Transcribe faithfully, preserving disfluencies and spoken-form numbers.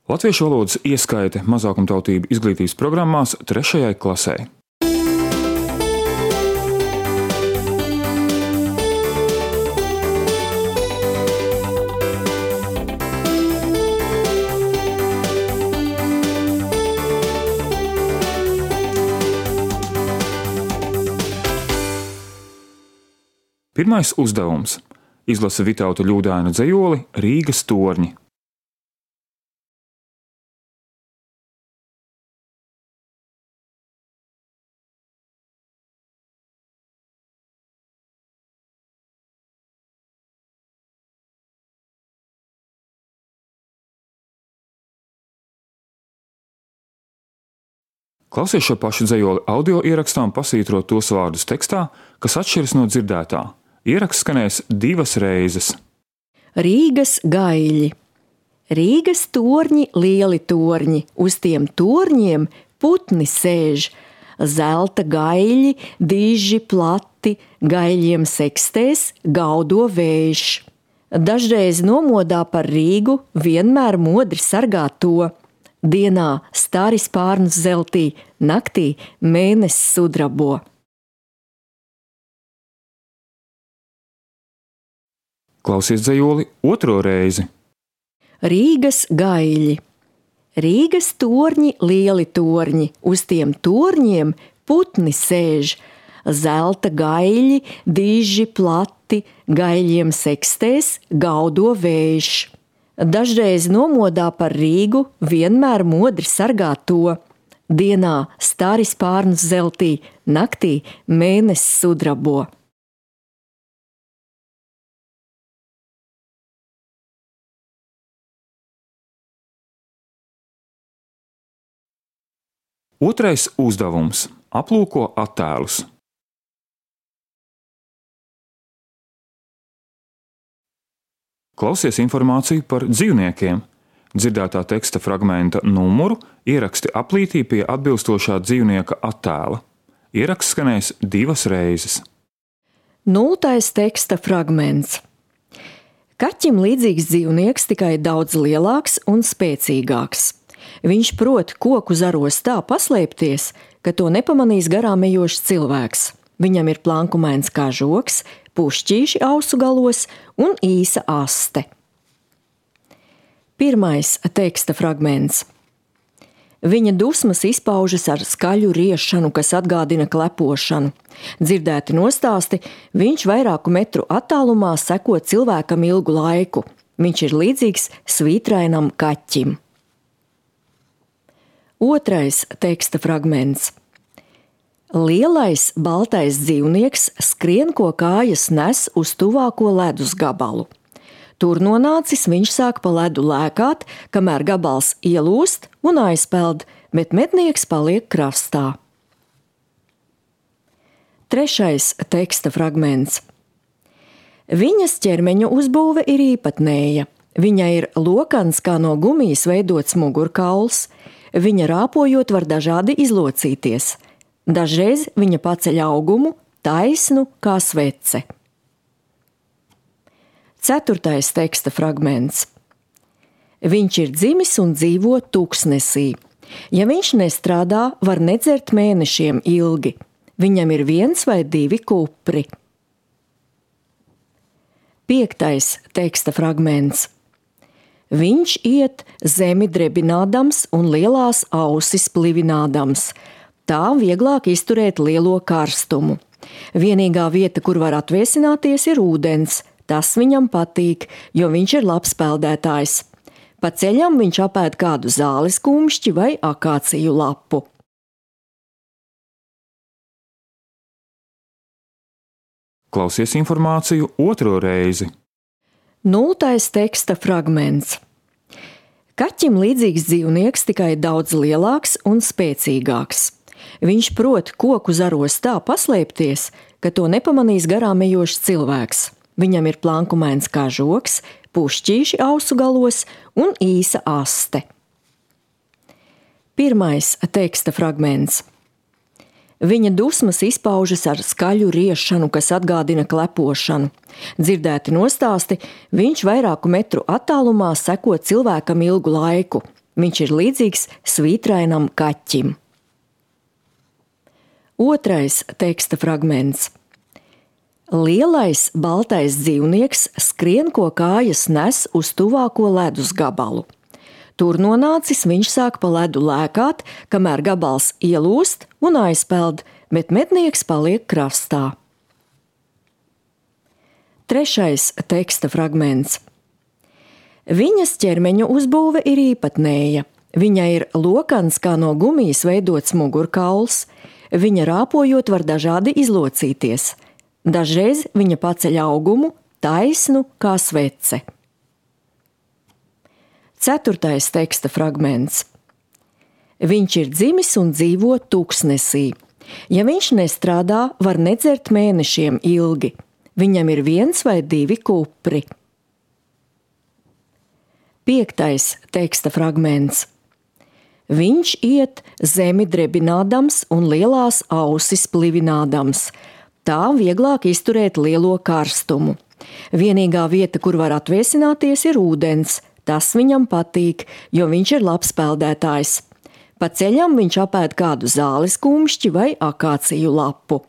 Latviešu valodas ieskaite mazākumtautību izglītības programmās trešajai klasei. Pirmais uzdevums – izlasa Vitauta Ļūdaina dzejoli Rīgas torņi. Klausies šo pašu dzejoli audio ierakstā un pasvītro tos vārdus tekstā, kas atšķiras no dzirdētā. Ieraksts skanēs divas reizes. Rīgas gaļi. Rīgas torņi, lieli torņi, uz tiem torņiem putni sēž. Zelta gaļi, diži, plati, gaļiem sekstēs, gaudo vējš. Dažreiz nomodā par Rīgu, vienmēr modri sargā to. Dienā stāri spārnus zeltī, naktī mēnesis sudrabo. Klausies dzejoli otro reizi. Rīgas gaļi. Rīgas torņi, lieli torņi, uz tiem torņiem putni sēž. Zelta gaļi, diži, plati, gaļiem sekstēs, gaudo vējš. Dažreiz nomodā par Rīgu, vienmēr modri sargā to. Dienā stāri spārnus zeltī, naktī mēnesis sudrabo. Otrais uzdevums – aplūko attēlus. Klausies informāciju par dzīvniekiem. Dzirdētā teksta fragmenta numuru ieraksti aplītī pie atbilstošā dzīvnieka attēla. Ieraksts skanēs divas reizes. Nultais teksta fragments. Kaķim līdzīgs dzīvnieks, tikai daudz lielāks un spēcīgāks. Viņš prot koku zaros tā paslēpties, ka to nepamanīs garām ejošs cilvēks. Viņam ir plankumains kā žoks, pušķīši ausu galos un īsa aste. Pirmais teksta fragments. Viņa dusmas izpaužas ar skaļu riešanu, kas atgādina klepošanu. Dzirdēti nostāsti, viņš vairāku metru attālumā seko cilvēkam ilgu laiku. Viņš ir līdzīgs svītrainam kaķim. Otrais teksta fragments. Lielais baltais dzīvnieks skrien, ko kājas nes uz tuvāko ledus gabalu. Tur nonācis viņš sāk pa ledu lēkāt, kamēr gabals ielūst un aizpeld, bet mednieks paliek krastā. Trešais teksta fragments. Viņas ķermeņa uzbūve ir īpatnēja. Viņa ir lokans kā no gumijas veidots mugurkauls. Viņa rāpojot var dažādi izlocīties. Dažreiz viņa paceļ augumu, taisnu kā svece. Ceturtais teksta fragments. Viņš ir dzimis un dzīvo tūkstnesī. Ja viņš nestrādā, var nedzert mēnešiem ilgi. Viņam ir viens vai divi kupri. Piektais teksta fragments. Viņš iet zemi drebinādams un lielās ausis plivinādams. Tā vieglāk izturēt lielo karstumu. Vienīgā vieta, kur var atviesināties, ir ūdens. Tas viņam patīk, jo viņš ir labs peldētājs. Pa ceļam viņš apēd kādu zāles kumšķi vai akāciju lapu. Klausies informāciju otro reizi. Nultais teksta fragments. Kaķim līdzīgs dzīvnieks, tikai daudz lielāks un spēcīgāks. Viņš prot koku zaros tā paslēpties, ka to nepamanīs garām ejošs cilvēks. Viņam ir plankumains kā žoks, pušķīši ausu galos un īsa aste. Pirmais teksta fragments. Viņa dusmas izpaužas ar skaļu riešanu, kas atgādina klepošanu. Dzirdēti nostāsti, viņš vairāku metru attālumā seko cilvēkam ilgu laiku. Viņš ir līdzīgs svītrainam kaķim. Otrais teksta fragments. Lielais baltais dzīvnieks skrien, ko kājas nes uz tuvāko ledus gabalu. Tur nonācis viņš sāk pa ledu lēkāt, kamēr gabals ielūst un aizpeld, bet mednieks paliek krastā. Trešais teksta fragments. Viņas ķermeņa uzbūve ir īpatnēja. Viņa ir lokans kā no gumijas veidots mugurkauls. Viņa rāpojot var dažādi izlocīties. Dažreiz viņa paceļ augumu, taisnu kā svece. Ceturtais teksta fragments. Viņš ir dzimis un dzīvo tūkstnesī. Ja viņš nestrādā, var nedzert mēnešiem ilgi. Viņam ir viens vai divi kupri. Piektais teksta fragments. Viņš iet zemi drebinādams un lielās ausis plivinādams. Tā vieglāk izturēt lielo karstumu. Vienīgā vieta, kur var atviesināties, ir ūdens. Tas viņam patīk, jo viņš ir labs peldētājs. Pa ceļam viņš apēd kādu zāles kumšķi vai akāciju lapu.